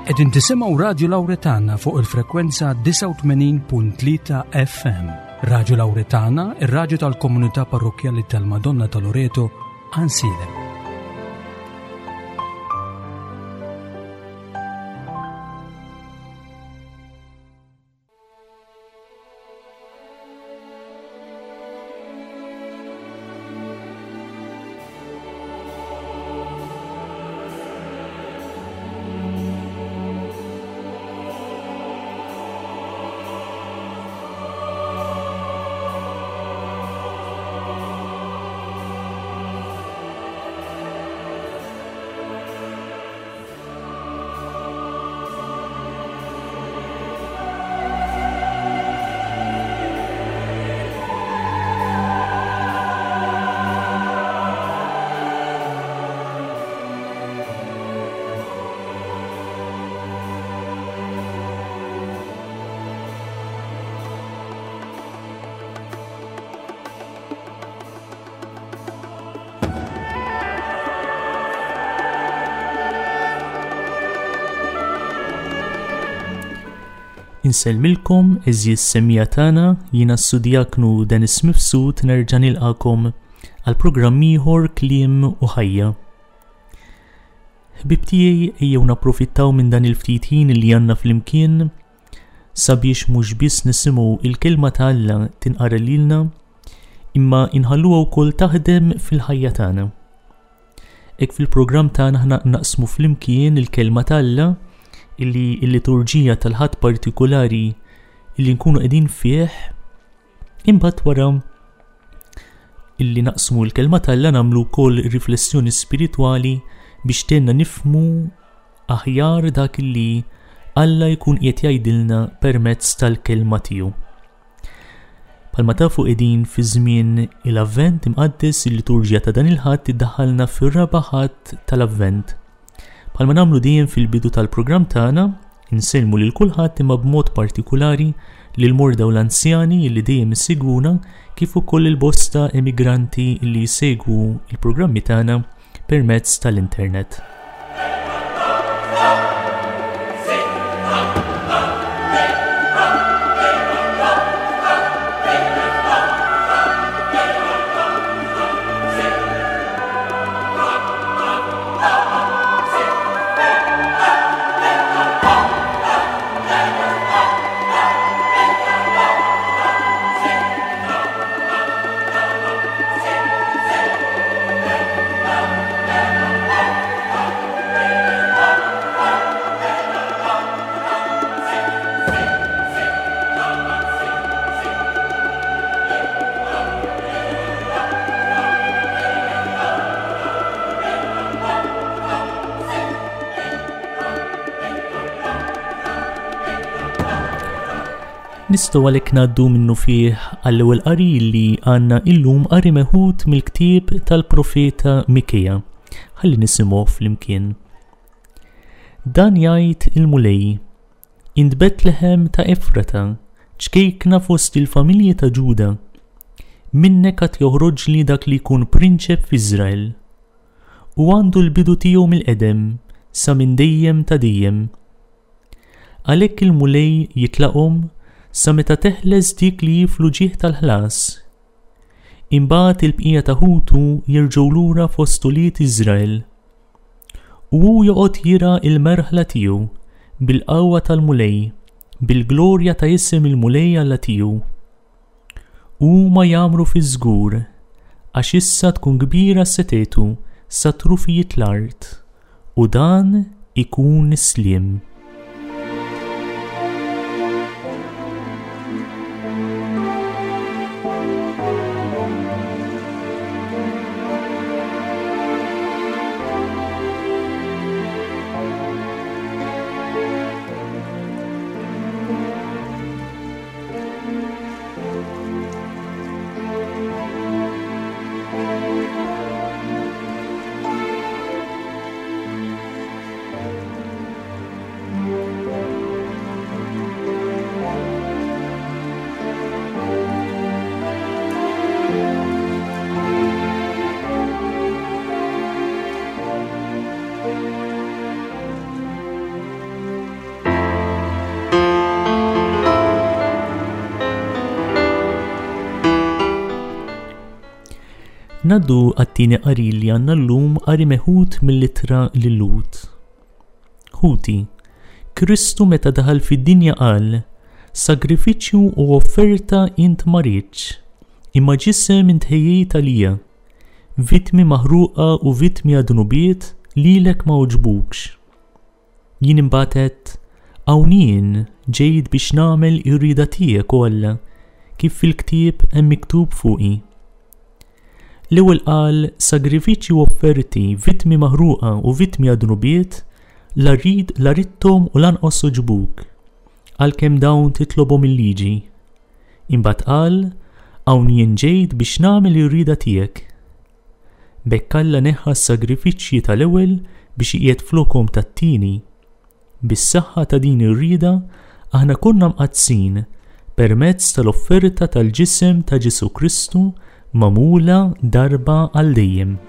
Qegħdin tisimgħu Radju Lawretana fuq il-frekwenza 89.3 FM. Radju Lawretana, ir-radju tal-komunità parrokkjali tal-Madonna ta' Loreto, Ansilem. Insellmilkom għeżież semmiegħa tagħna, jiena s-Sudjaknu Dennis Mifsud nerġa' nilqakom għal programm ieħor Kliem u Ħajja. Ħbieb tiegħi ejjew napprofittaw minn dan il-ftit ħin li għandna flimkien sabiex mhux biss nisimgħu il-kelma ta' Alla tinqara lilna, imma inħalluha wkoll taħdem fil-ħajja tagħna. Hekk fil-programm tagħna aħna naqsmu flimkien il-kelma ta' Alla illi l-liturġija tal-ħadd partikulari illi nkunu qegħdin fih imbagħad wara illi naqsmu l-kelma t'Alla nagħmlu wkoll riflessjoni spiritwali biex tgħinna nifhmu aħjar dak illi Alla jkun qiegħed jgħidilna permezz tal-kelma tiegħu. Bħalma tafu qegħdin fi żmien il-Avvent imqaddes il-liturġija ta' dan il-Ħadd iddaħħalna fir-raba' Ħadd tal-Avvent. Bħalma nagħmlu dejjem fil-bidu tal-programm tagħna, insellmu lil kulħadd imma b'mod partikulari lil morda u l-anzjani li dejjem isegwuna kif ukoll il-bosta emigranti li jsegwu il-programmi tagħna permezz tal-internet. Nistgħu għalhekk ngħaddu minnufih għall-ewwel qari li għandna illum qari meħud mill-ktieb tal-profeta Mikea. Ħalli nisimgħu flimkien. Dan jgħid il-Mulej, Int Betlehem ta' Efrata, ċkejkna fost il-familji ta' Ġuda. Minnek għad joħroġli dak li jkun prinċep f'Iżrael. U għandu l-bidu tiegħu mill-qedem, sa minn dejjem ta' dejjem. Għalhekk il-Mulej jitlaqhom sa meta teħles dik li hi fl-uġigħ tal-ħlas. Imbagħad il-bqija ta' ħutu jerġgħu lura fost ulied Iżrael. U hu joqgħod jirgħa l-merħla tiegħu bil-qawwa tal-Mulej, bil-glorja ta' isem il-Mulej Alla tiegħu. U huma jgħammru fiż-żgur, għax issa tkun kbira setgħetu sa trufijiet l-art, u dan ikun is-sliem. Ngħaddu għat-tieni qari li għandna llum qari meħud mill-ittra lil-Lhud. Ħuti, Kristu meta daħal fid-dinja qal, Sagrifiċċju u offerta int ma ridtx, imma ġisem int ħejjejt għalija. Vittmi maħruqa u vittmi għad-dnubiet lilek ma għoġbukx. Jien imbagħad għedt, Hawn jien, ġejt biex nagħmel ir-rieda tiegħek, o Alla, kif fil-ktieb hemm miktub fuqi. L-ewwel qal, Sagrifiċċji u offerti, vittmi maħruqa u vittmi għad-dnubiet, la rrid la ridthom u lanqas għoġbuk, għalkemm dawn titlobhom il-liġi. Imbagħad qal, Hawn jien ġejt biex nagħmel ir-rieda tiegħek. B'hekk Alla neħħa s-sagrifiċċji tal-ewwel biex iqiegħed flokhom tat-tieni. Bis-saħħa ta' din ir-rieda aħna konna mqaddsin permezz tal-offerta tal-ġisem ta' Ġesù Kristu magħmula darba għal dejjem.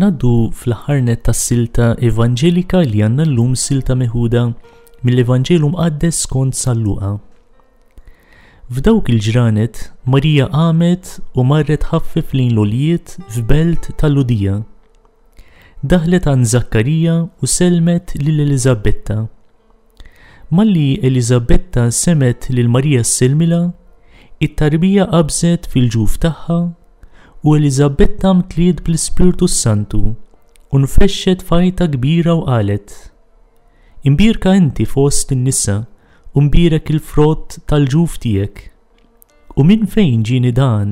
Naddu fl-aħħar net tas-silta evanġelika li għandna llum silta meħuda mill-Evanġelu Mqaddes skont San Luqa. F'dawk il-ġranet, Marija qamet u marret ħaffef lejn l-għoljiet f'belt tal-Lhudija. Daħlet għand Żakkarija u sellmet lil Eliżabetta. Malli Eliżabetta semgħet lil Marija ssellmilha, it-tarbija qabżet fil-ġuf tagħha u Eliżabetta mtliet bl-Ispirtu s-Santu u nfexxet f'għajta kbira u qalet, Imbierka inti fost in-nisa u mbierek il-frott tal-ġuf tiegħek. U minn fejn ġieni dan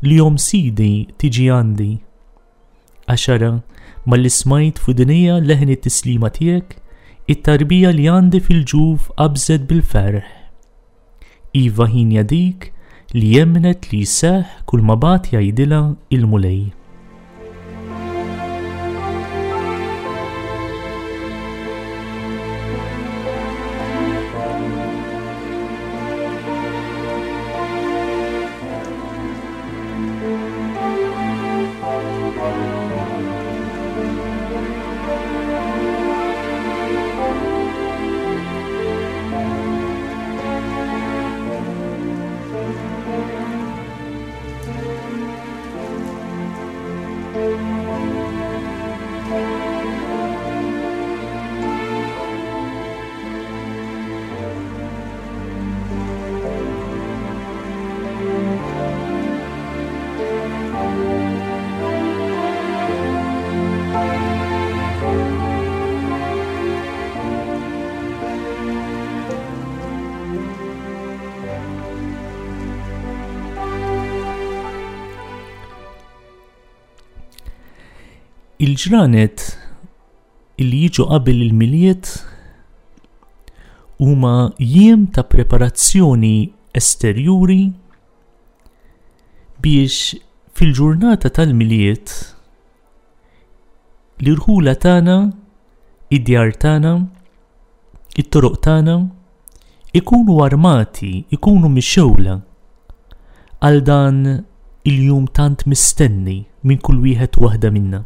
li omm Sidi tiġi għandi? Għax ara, malli smajt f'widnejja leħen it-tislima tiegħek, it-tarbija li għandi fil-ġuf qabżet bil-ferħ. Iva hienja dik li emmnet li jseħħ kulma bagħat jgħidilha il-Mulej. Il-ġranet illi jiġu qabel il-Milied huma jiem ta' preparazzjoni esterjuri biex fil-ġurnata tal-Milied l-irħula tagħna, id-djar tagħna, it-toroq tagħna ikunu armati, ikunu mixewla għal dan il-jum tant mistenni minn kull wieħed u waħda minna.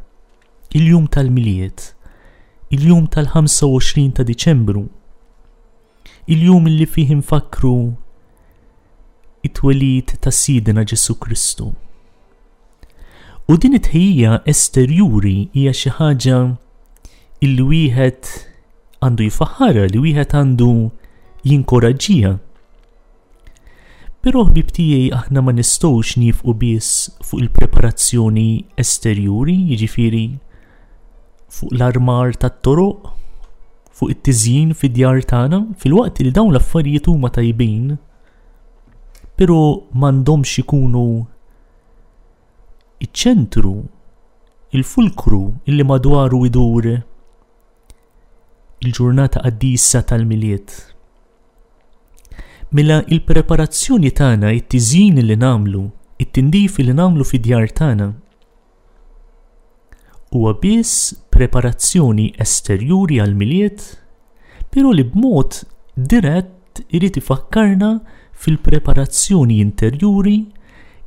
Il-jum tal-Milied, il-jum tal-25 ta' Diċembru, il-jum li fih infakkru. it-twelid ta' Sidna Ġesù Kristu. U din it-tħejjija esterjuri hija xi ħaġa illi wieħed għandu jfaħħarha, li wieħed għandu jinkoraġġiha. Però ħbieb tiegħi aħna ma nistgħux niefqu biss fuq il-preparazzjoni esterjuri, jiġifieri fuq l-armar tat-toroq, fuq it-tiżjin fid-djar tagħna, filwaqt li dawn l-affarijiet huma tajbin, però m'għandhomx ikunu iċ-ċentru, il-fulkru illi madwaru idur il-ġurnata qaddisa tal-Milied. Mela il-preparazzjoni tagħna, it-tiżjin li nagħmlu, it-tindif li nagħmlu fid-djar tagħna, huwa biss preparazzjoni esterjuri għall-Milied, però li b'mod dirett irid ifakkarna fil-preparazzjoni interjuri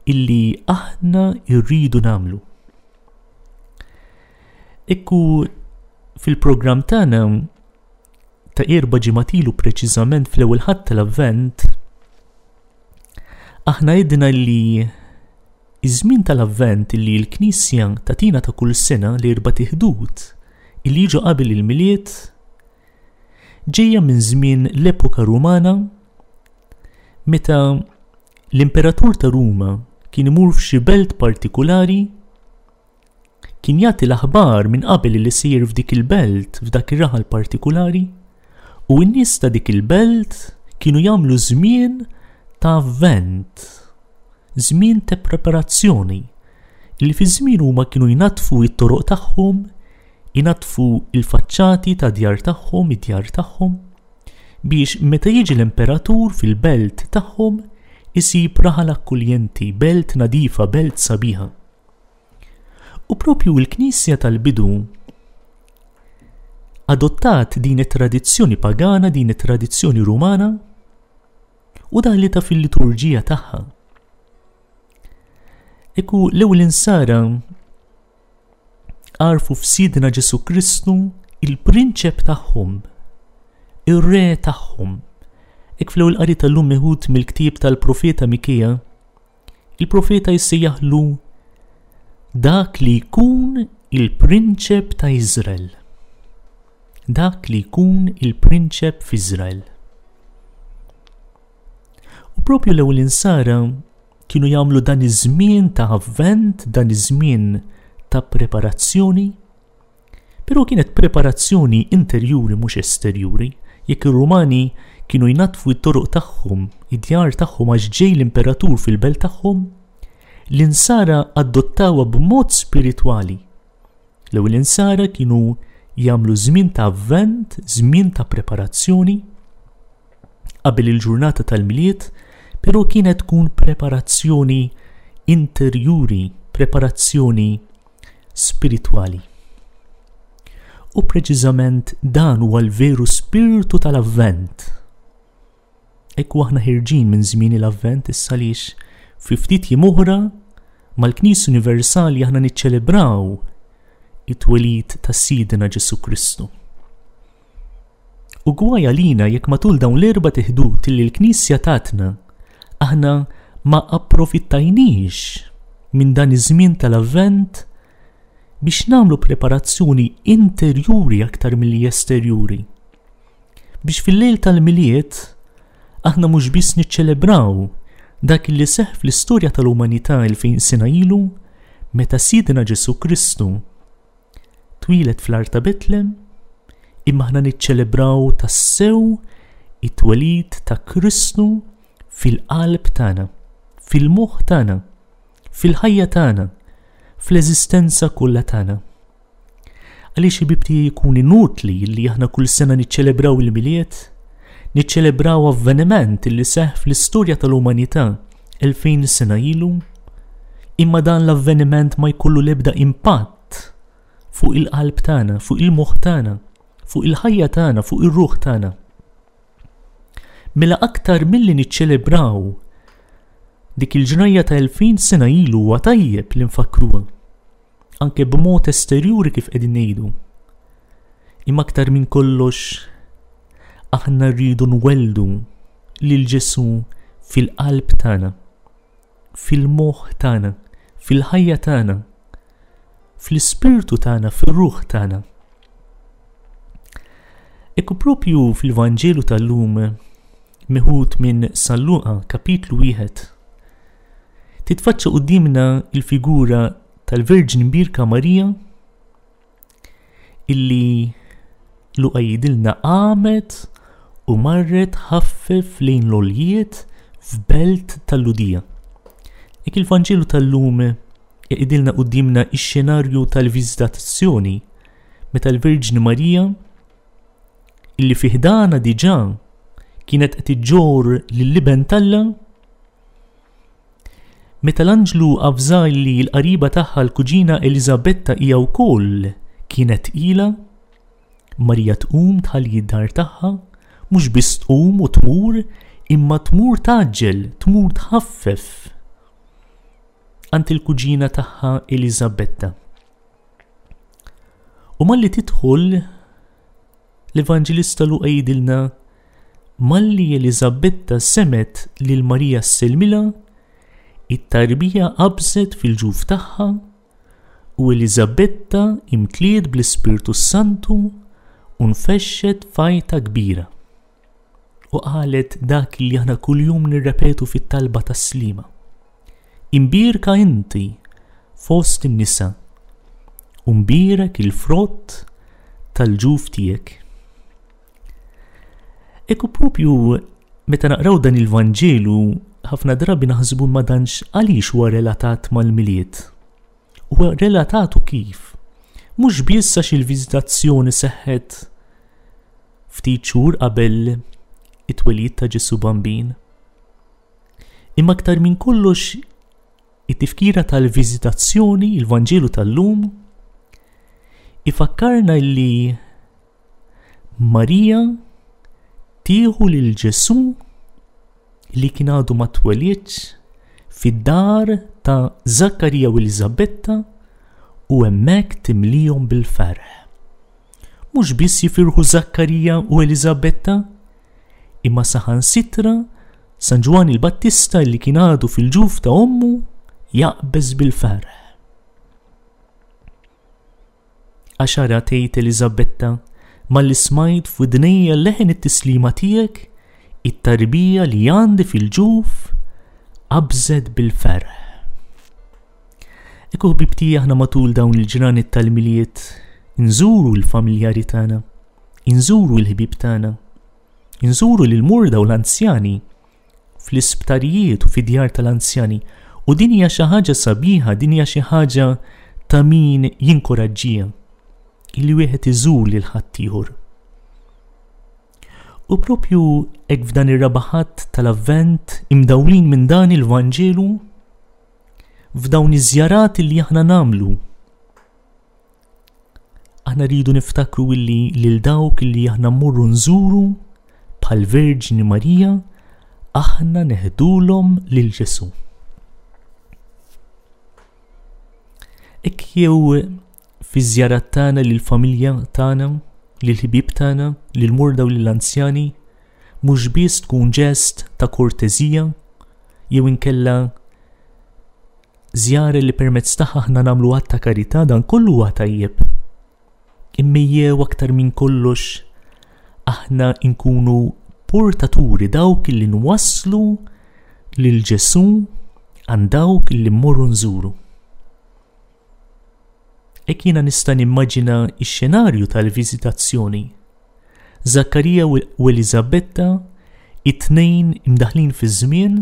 illi aħna rridu nagħmlu. Ekku fil-programm tagħna ta' erba' ġimgħat ilu preċiżament fl-ewwel Ħadd tal-Avvent, aħna għidna li iż-żmien tal-Avvent li l-Knisja tagħtina ta' kull sena l-erba' tiħdud illi jiġu qabel il-Milied ġejja minn żmien l-epoka Rumana meta l-Imperatur ta' Ruma kien imur f'xi belt partikulari Kien jagħti l-aħbar minn qabel li sejjer f'dik il-belt, f'dak ir-raħal partikulari, u n-nies ta' dik il-belt kienu jagħmlu żmien ta' avvent, żmien ta' preparazzjoni, li fi żmien huma kienu jnaddfu t-toroq tagħhom, inaddfu l-faċċati ta' djar tagħhom, id-djar tagħhom, biex meta jiġi l-imperatur fil-belt tagħhom isib raħal akkuljenti, belt nadifa, belt sabiħa. U propju l-Knisja tal-bidu adottat din it-tradizzjoni pagana, din it-tradizzjoni rumana u daħlitha fil-liturġija tagħha. Ekku l-ewwel insara għarfu f'Sidna Ġesu Kristu il-prinċep tagħhom, ir-re tagħhom. Ek fl-ewwel qari tal-lum meħud mill-ktieb tal-profeta Mikea, Il-profeta jsejjaħlu dak li jkun il-prinċep ta' Iżrael. Dak li jkun il-prinċep f'Iżrael. U propju l-ewwel insara kienu jagħmlu dan iż-żmien ta' avvent, dan iż-żmien ta' preparazzjoni Però kienet preparazzjoni interjuri mhux esterjuri. Jekk ir-Rumani kienu jnaddfu t-toroq tagħhom, id-djar tagħhom għax ġej l-imperatur fil-belt tagħhom, l-Insara adottawha b'mod spiritwali. L-ewwel Insara kienu jagħmlu żmien ta' avvent, żmien ta' preparazzjoni qabel il-ġurnata tal-Milied, però kienet tkun preparazzjoni interjuri, preparazzjoni spiritwali. U preċiżament dan huwa l-veru spirtu tal-Avvent. Ekku aħna ħirġin minn żmien l-Avvent issa għaliex fi ftit jiem oħra mal-Knisja Universali aħna niċċelebraw it-twelid ta' Sidna Ġesu Kristu. U gwaj għalina jekk matul dawn l-erba' tiħdud li l-Knisja tatna aħna ma approfittajniex minn dan iż-żmien tal-Avvent biex nagħmlu preparazzjoni interjuri aktar milli esterjuri. Biex fil-lejl tal-Milied aħna mhux biss niċċelebraw dak li seħħ fl-istorja tal-umanità 2000 sena ilu meta Sidna Ġesù Kristu Twieled fl-art ta' Betlem, imma aħna niċċelebraw tassew it-twelid ta' Kristu fil-qalb tagħna, fil-moħħ tagħna, fil-ħajja tagħna, fl-eżistenza kollha tagħna. Għaliex ħbieb tiegħi jkun inutli li aħna kull sena niċċelebraw il-Milied, niċċelebraw avveniment li seħħ fl-istorja tal-umanità 2000 sena ilu, imma dan l-avveniment ma jkollu l-ebda impatt fuq il-qalb tagħna, fuq il-moħħ tagħna, fuq il-ħajja tagħna, fuq ir-ruħ tagħna. Mela aktar milli niċċelebraw dik il-ġrajja ta' 2000 sena ilu huwa tajjeb li nfakkruha. Anke b'mod esterjuri kif qegħdin ngħidu. Imma aktar minn kollox aħna rridu nwelldu lil Ġesù fil-qalb tagħna, fil-moħħ tagħna, fil-ħajja tagħna, fl-ispirtu tagħna, fir-ruħ tagħna. Ekku propju fil-Vanġelu tal-lum meħud minn San Luqa kapitlu wieħed titfaċċa quddiemna il-figura tal-Verġni Mbierka Marija illi Luqa jgħidilna qamet u marret ħaffef lejn l-għoljiet f'belt tal-Lhudija. Hekk il-Vanġelu tal-lum jgħidilna quddiemna x-xenarju tal-viżitazzjoni meta l-Verġni Marija illi fi ħdana diġà kienet qed iġġorr lill-Iben t'Alla, meta l-anġlu avża li l-qariba tagħha l-kuġina Eliżabetta hija wkoll kienet tqila, Marija tqum tħalli d-dar tagħha, mhux biss tqum u tmur, imma tmur tgħaġġel, tmur tħaffef għand il-kuġina tagħha Eliżabetta. U malli tidħol l-Evanġelista Luqa jgħidilna malli Eliżabetta semgħet lil Marija ssellmilha, it-tarbija qabżet fil-ġuf tagħha u Eliżabetta imtliet bl-Ispirtu s-Santu u nfexxet f'għajta kbira. U qalet dak li aħna kuljum nirrepetu fit-talba tas-slima. Imbierka inti fost in-nisa, u mbierek il-frott tal-ġuf tiegħek. Ekku propju meta naqraw dan il-Vanġelu ħafna drabi naħsbu ma danx għaliex huwa relatat mal-Milied. Huwa relatat u kif? Mhux biss għax il-viżitazzjoni seħħet ftit xhur qabel it-twelid ta' Ġesù Bambin. Imma aktar minn kollox it-tifkira tal-viżitazzjoni, il-Vanġelu tal-lum, ifakkarna li Marija tieħu lil Ġesù li kien għadu ma twelidx fid-dar ta' Zakkarija u Eliżabetta u hemmhekk timlihom bil-ferħ. Mhux biss jifirħu Zakkarija u Eliżabetta, imma saħansitra San Ġwann il-Battista li kien għadu fil-ġuf ta' ommu jaqbeż bil-ferħ. Għax ara tgħid Eliżabetta, malli smajt f'widnejja leħen it-tislima tiegħek, it-tarbija li għandi fil-ġuf qabżet bil-ferħ. Ekku ħbib tiegħi aħna matul dawn il-ġranet tal-Milied inżuru l-familjari tagħna, inżuru l-ħbieb tagħna, Inżuru lill-morda u l-anzjani fl-isptarijiet u fid-djar tal-anzjani u din hija xi ħaġa sabiħa, din hija xi ħaġa ta' min jinkoraġġiha illi wieħed iżur lil ħaddieħor. U propju hekk f'dan ir-raba' Ħadd tal-Avvent imdawlin minn dan il-Vanġelu f'dawn iż-żjarat li aħna nagħmlu Aħna rridu niftakru illi lil dawk illi aħna mmorru nżuru bħal Verġni Marija aħna neħdulhom lil Ġesù. Hekk jew fi żjarat tagħna lil familja tagħna, lil ħbieb tagħna, lil morda u lil anzjani, mhux biss tkun ġest ta' kortezija jew inkella Żjara li permezz tagħha aħna nagħmlu att ta' karità dan kollu huwa tajjeb. Imma jew aktar minn kollox aħna nkunu portaturi dawk li nwasslu lil Ġesù għand dawk li mmorru nżuru. Hekk jiena nista' nimmaġina x-xenarju tal-viżitazzjoni. Zakkarija u Eliżabetta, it-tnejn imdaħlin fiż-żmien,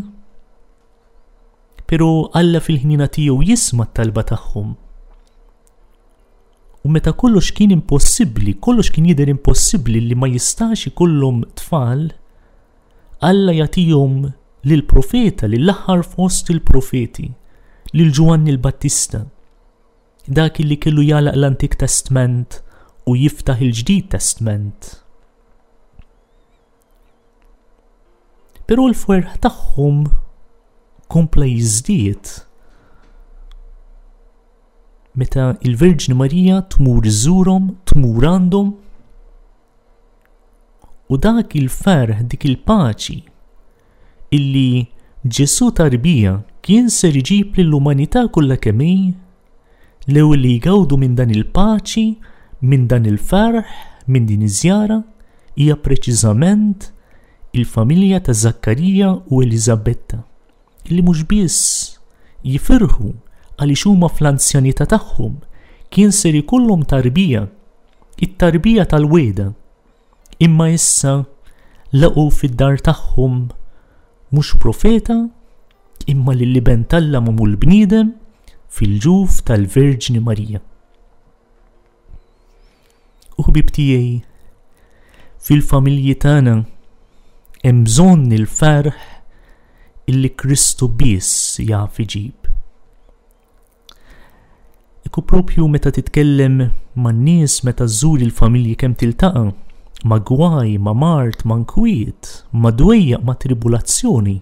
Pero Alla fil-ħniena tiegħu jisma' t-talba tagħhom. U meta kollox kien impossibbli, kollox kien jidher impossibbli li ma jistax ikollhom tfal, Alla jagħtihom lill-profeta, lill-aħħar fost il-profeti, lil Ġwanni l-Battista. Dak li kellu jagħlaq l-Antik Testment u jiftaħ il-Ġdid Testment. Però l-ferħ tagħhom kompla jiżdied meta il-Verġni Marija tmur iżżurhom, tmur għandhom u dak il-ferħ, dik il-paċi illi Ġesù tarbija kien ser iġib lill-umanità kollha kemm hi l-ewwel li jgawdu minn dan il-paċi, minn dan il-ferħ, minn din iż-żjara, hija preċiżament il-familja ta' Żakkarija u Eliżabetta, li mhux biss jifirħu għaliex huma fl-anzjanità tagħhom kien ser ikollhom tarbija, it-tarbija tal-wegħda, imma issa laqgħu fid-dar tagħhom mhux profeta imma lill-Iben t'Alla magħmul bniedem fil-ġuf tal-Verġni Marija. U ħbib tiegħi, fil-familji tagħna hemm bżonn il-ferħ illi Kristu biss jaf iġib. Iku propju meta titkellem man-nies meta żżur il-familji kemm tiltaqa' ma' gwaj, ma' mard, ma' nkwiet, ma' dwejjaq, ma' tribulazzjoni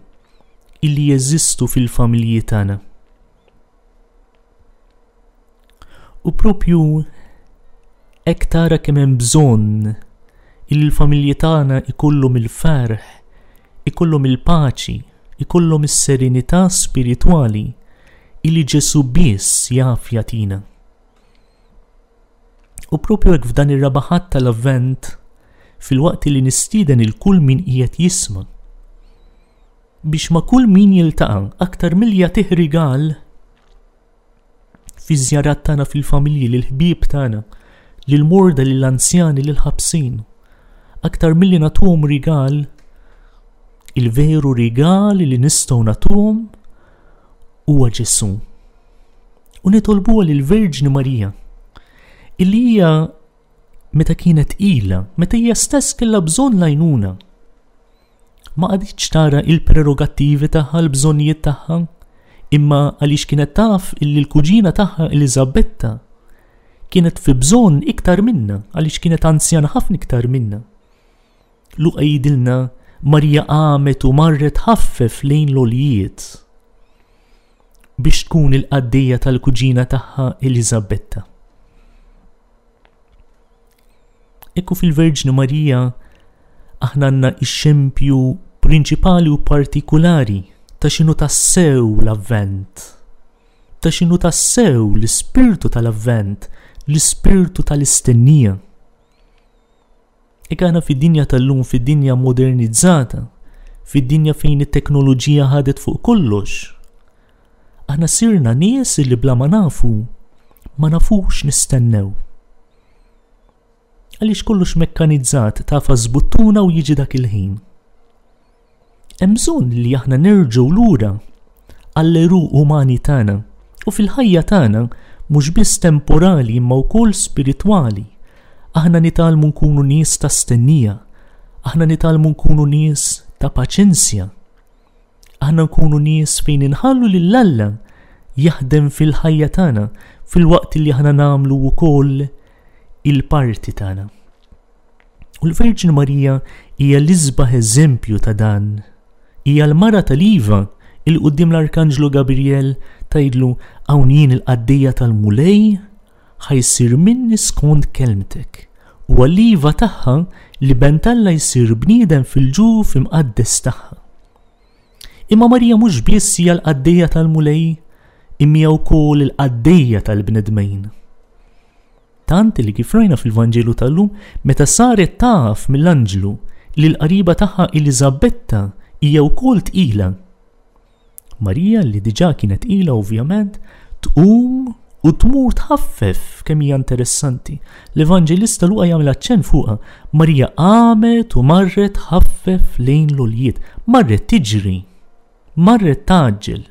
illi jeżistu fil-familji tagħna. U propju hekk tara kemm hemm bżonn illi l-familji tagħna ikollhom il-ferħ, ikollhom il-paċi, ikollhom is-serenità spiritwali illi Ġesù biss jaf jagħtina. U propju hekk f'dan ir-raba' Ħadd tal-Avvent, filwaqt li nistieden il kull min qiegħed jisma' biex ma' kull min jiltaqa' aktar milli jagħtih rigal fiż-żjarat tagħna fil-familji lill-ħbieb tagħna, lill-morda, lill-anzjani, lill-ħabsin. Aktar milli nagħtuhom rigal, il-veru rigal li nistgħu nagħtuhom huwa Ġesù. U nitolbuha lill-Verġni Marija, illi hija meta kienet tqila, meta hija stess kellha bżonn l-għajnuna. Ma qagħditx tara il-prerogattivi tagħha, l-bżonnijiet tagħha, imma għaliex kienet taf illi l-kuġina tagħha Eliżabetta kienet fi bżonn iktar minna, għaliex kienet anzjana ħafna iktar minna. Luqa jgħidilna Marija qamet u marret ħaffef lejn l-għoljiet biex tkun il-qaddejja tal-kuġina tagħha Eliżabetta. Ekku fil-Verġni Marija aħna għandna x-xempju prinċipali u partikulari ta' x'inhu tassew l-Avvent, ta' x'inhu tassew l-ispirtu tal-Avvent, l-ispirtu tal-istennija. Hekk aħna fid-dinja tal-lum, fid-dinja modernizzata, fid-dinja fejn it-teknoloġija ħadet fuq kollox, aħna sirna nies li bla ma nafu ma nafux nistennew. Għaliex kollox mekkanizzat tafas buttuna u jiġi dak il-ħin. Hemm bżonn li aħna nerġgħu lura għall-għeruq umani tagħna u fil-ħajja tagħna mhux biss temporali imma wkoll spiritwali. Aħna nitgħallmu nkunu nies ta' stennija, aħna nitgħallmu nkunu nies ta' paċenzja. Aħna nkunu nies fejn inħallu lil Alla jaħdem fil-ħajja tagħna filwaqt li aħna nagħmlu wkoll il-parti tagħna. U l-Verġni Marija hija l-isbaħ eżempju ta' dan. Hija l-mara tal-iva il quddiem l-Arkanġlu Gabriel tgħidlu hawn jien il-qaddejja tal-Mulej ħa jsir minni skont kelmtek. U għall-iva tagħha li ben t'Alla jsir bniedem fil-ġuf imqaddes tagħha. Imma Marija mhux biss hija l-qaddejja tal-Mulej, imma hija wkoll il-qaddejja tal-bnedmin. Tant li kif rajna fil-Vanġelu tal-lum, meta saret taf mill-anġlu li l-qariba tagħha Eliżabetta hija wkoll tqila. Marija li diġà kienet tqila ovvjament, tqum u tmur tħaffef kemm hija interessanti. L-Evanġelista Luqa jagħmel aċċenn fuqha. Marija qamet u marret tħaffef lejn l-għoljiet, marret tiġri, marret tgħaġġel.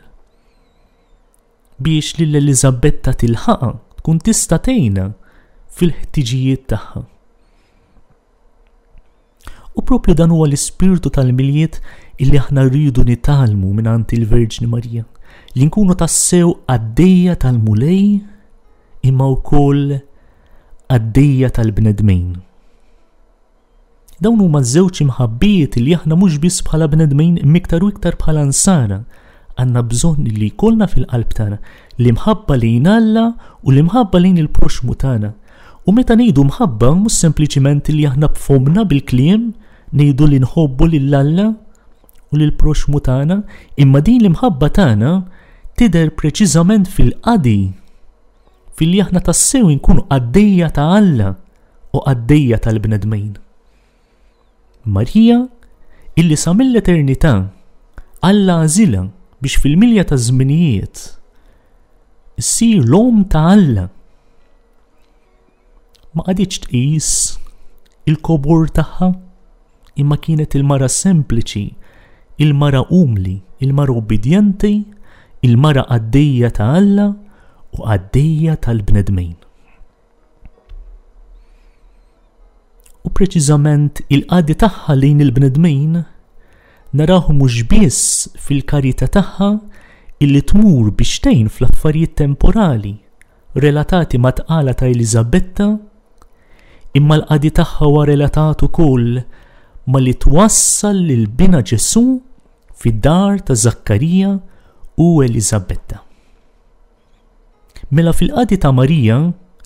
biex lil Eliżabetta tilħaqha, tkun tista' tgħinha fil-ħtiġijiet tagħha. U propju dan huwa l-ispirtu tal-Milied illi aħna rridu nitgħallmu mingħand il-Verġni Marija, li nkunu tassew qaddejja tal-Mulej imma wkoll qaddejja tal-bnedmin. Dawn huma ż-żewġ imħabbiet li aħna mhux biss bħala bnedmin imma iktar u iktar bħala nsara għandna bżonn li jkollna fil-qalb tagħna l-imħabba lejn Alla u l-imħabba lejn il-proxxmu tagħna. U meta ngħidu mħabba mhux sempliċiment li aħna b'fomna bil-kliem ngħidu li nħobbu lil Alla. u lill-proxxmu tagħna, imma din l-imħabba tagħna tidher preċiżament fil-qadi, filli aħna tassew inkunu qaddejja ta' Alla u qaddejja tal-bnedmin. Marija, illi sa mill-eternità Alla għażilha biex fil-milja taż-żminijiet issir l-omm ta' Alla, ma qagħditx tqis il-kobor tagħha, imma kienet il-mara sempliċi, il-mara umli, il-mara ubbidjenti, il-mara qaddejja ta' Alla u qaddejja tal-bnedmin. U preċiżament il-qadi tagħha lejn il-bnedmin naraw mhux biss fil-karità tagħha illi tmur biex tgħin fl-affarijiet temporali relatati mat-tqala ta' Eliżabetta, imma l-qadi tagħha huwa relatat ukoll ma' li twassal lil binha Ġesù fid-dar ta' Żakkarija u Eliżabetta. Mela fil-qadi ta' Marija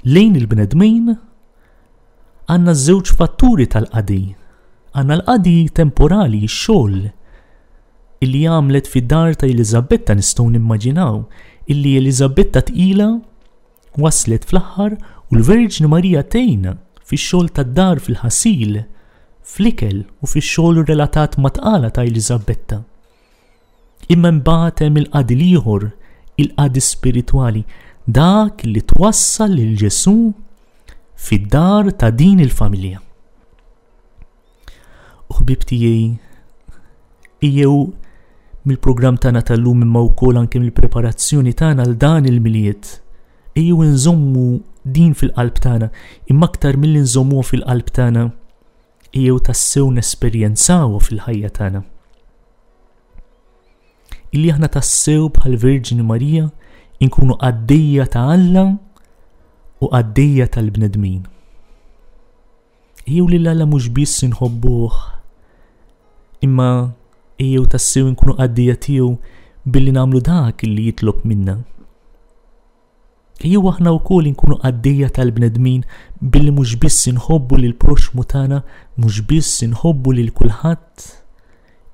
lejn il-bnedmin għandna żewġ fatturi tal-qadi. Għandna l-qadi temporali, x-xogħol illi għamlet fid-dar ta' Eliżabetta nistgħu nimmaġinaw illi Eliżabetta tqila waslet fl-aħħar u l-Verġni Marija tgħinha fix-xogħol tad-dar fil-ħasil, fl-ikel u fix-xogħol relatat mat-tqala ta' Eliżabetta. Imma imbagħad hemm il-qadi l-ieħor, il-qadi spiritwali, dak li twassal lil Ġesù fid-dar ta' din il-familja. U ħbib tiegħi, ejjew mill-programm tagħna tal-lum imma wkoll anke mill-preparazzjoni tagħna għal dan il-Milied, ejjew inżommu din fil-qalb tagħna, imma aktar milli nżommuha fil-qalb tagħna, ejjew tassew nesperjenzawha fil-ħajja tagħna. Illi aħna tassew bħal Verġni Marija inkunu qaddejja ta' Alla u qaddejja tal-bnedmin. Ejjew lil Alla mhux biss inħobbuh, imma ejjew tassew inkunu qaddejja tiegħu billi nagħmlu dak li jitlob minna. Ejjew aħna wkoll inkunu qaddejja tal-bnedmin billi mhux biss inħobbu lil proxmu tagħna, mhux biss inħobbu lil kulħadd,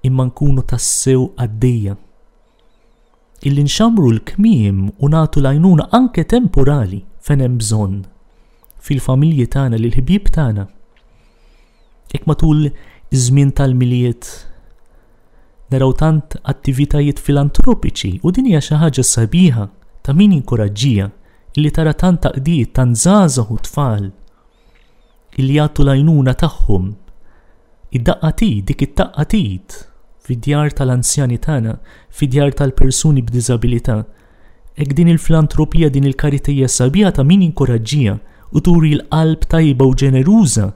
imma nkunu tassew qaddejja. Illi nxammru l-kmiem u nagħtu l-għajnuna anke temporali fejn hemm bżonn fil-familji tagħna lil ħbieb tagħna. Hekk matul iż-żmien tal-Milied naraw tant attivitajiet filantropiċi u din hija xi ħaġa sabiħa ta' min jinkoraġġija illi tara tant taqdiet, tant żgħażagħ u tfal illi jagħtu l-għajnuna tagħhom. Id-daqqa t'id, dik it-taqqa t'id fid-djar tal-anzjani tagħna, fid-djar tal-persuni b'diżabilità. Hekk din il-filantropija, din il-karità hija sabiħa ta' min jinkoraġġiha u turi l-qalb tajba u ġeneruża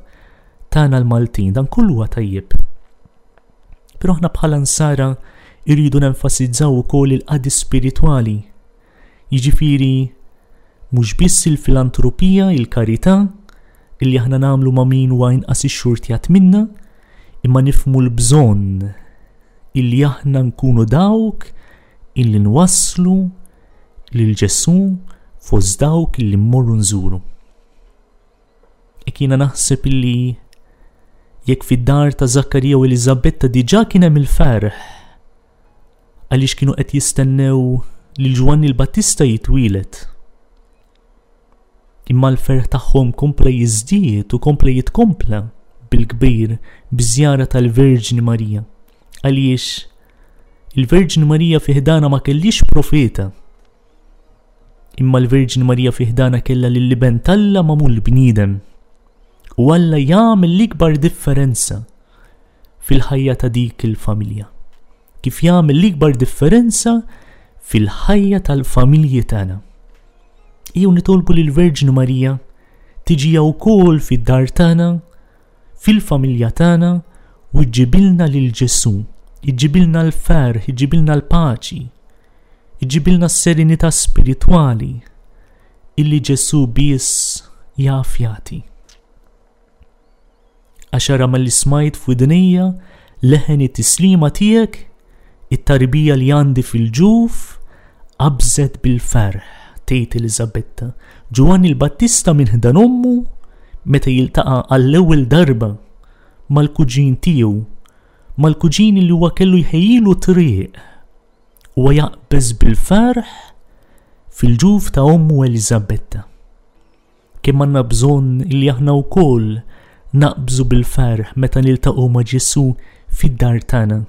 tagħna l-Maltin. Dan kollu huwa tajjeb. Però aħna bħala nsara irridu nenfasizzaw ukoll il-qadi spiritwali. Jiġifieri mhux biss il-filantropija, il-karità, illi aħna nagħmlu ma' min huwa inqas ixxurtjat minna, imma nifhmu l-bżonn illi aħna nkunu dawk illi nwasslu lil Ġesù fost dawk illi mmorru nżuru. Hekk jiena naħseb illi jekk fid-dar ta' Żakkarija u Eliżabetta diġà kien hemm il-ferħ għaliex kienu qed jistennew lil Ġwanni l-Battista jitwieled. Imma l-ferħ tagħhom kompla jiżdied u kompla jitkompla bil-kbir biż-żjara tal-Verġni Marija. Għaliex il-Verġni Marija fi ħdana ma kellix profeta. Imma l-Verġni Marija fi ħdana kellha lill-Iben t'Alla magħmul bniedem. U Alla jagħmel l-ikbar differenza fil-ħajja ta' dik il-familja. Kif jagħmel l-ikbar differenza fil-ħajja tal-familji tagħna. Ejjew nitolbu lil Verġni Marija tiġi wkoll fid-dar tagħna, fil-familja tagħna u ġġibilna lil Ġesù, iġġibilna l-ferħ, iġġibilna l-paċi, iġġibilna s-serenità spiritwali illi Ġesù biss jaf jagħti. Għax ara malli smajt f'widnejja leħen it-tislima tiegħek, it-tarbija li għandi fil-ġuf qabżet bil-ferħ, tgħid Eliżabetta. Ġwanni l-Battista minn ħdan ommu meta jiltaqa' għall-ewwel darba mal-kuġin tiegħu, mal-kuġin li huwa kellu jħejjilu triq. Huwa jaqbeż bil-ferħ fil-ġuf ta' ommu Eliżabetta. Kemm għandna bżonn li aħna wkoll naqbżu bil-ferħ meta niltaqgħu ma' Ġesù fid-dar tagħna,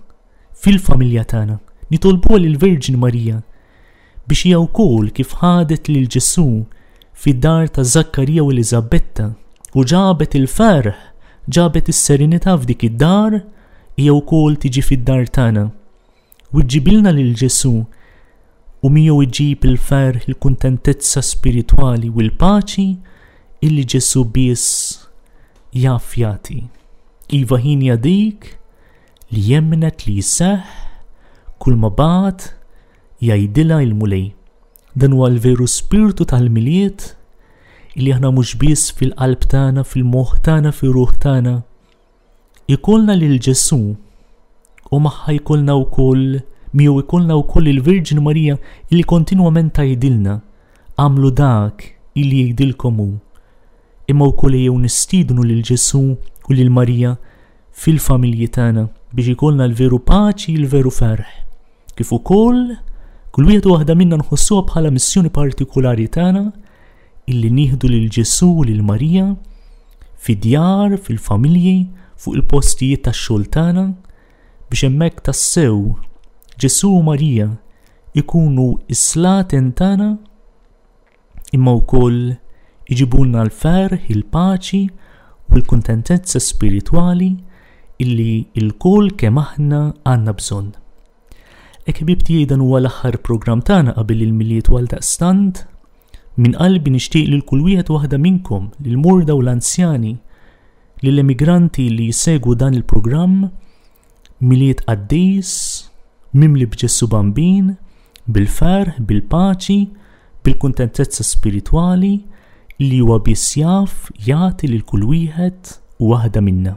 fil-familja tagħna. Nitolbuha lill-Verġni Marija biex hija wkoll kif ħadet lil Ġesù fid-dar ta' Żakkarija u Eliżabetta u ġabet il-ferħ, ġabet is-serenità f'dik id-dar, hija wkoll tiġi fid-dar tagħna. U ġġibilna lil Ġesù u miegħu iġib il-ferħ, il-kuntentezza spiritwali u l-paċi illi Ġesù biss jaf jagħti. Iva ħinja dik li jemmnet li jseħħ kull ma bagħat jgħidilha il-Mulej. Dan huwa l-veru spirtu tal-Milied illi aħna mhux biss fil-qalb tagħna, fil-moħħ tagħna, fir-ruħ tagħna, ikollna lil Ġesù u magħha jkollna wkoll miegħu jkollna wkoll il-Virġin Marija illi kontinwament tgħidilna għamlu dak illi jgħidilkom hu. Imma wkoll ejjew nistiednu lil Ġesù u lil Marija fil-familji tagħna biex ikollna l-veru paċi, l-veru ferħ. Kif ukoll kull wieħed u waħda minna nħossuha bħala missjoni partikulari tagħna illi nieħdu lil Ġesù u lil Marija fid-djar, fil-familji, fuq il-postijiet tax-xogħol tagħna biex hemmhekk tassew Ġesù u Marija ikunu s-slaten tagħna imma wkoll iġibulna l-ferħ, il-paċi u l-kuntentezza spiritwali illi lkoll kemm aħna għandna bżonn. Hekk ħbieb tiegħi dan huwa l-aħħar programm tagħna qabel il-Milied u għaldaqstant minn qalbi nixtieq lil kull wieħed u waħda minnkom, lill-morda u l-anzjani, lill-emigranti li jsegwu dan il-programm, Milied qaddis, mimli b'Ġesù Bambin, bil-ferħ, bil-paċi, bil-kuntentezza spiritwali li huwa biss jaf jagħti lil kull wieħed u waħda minna.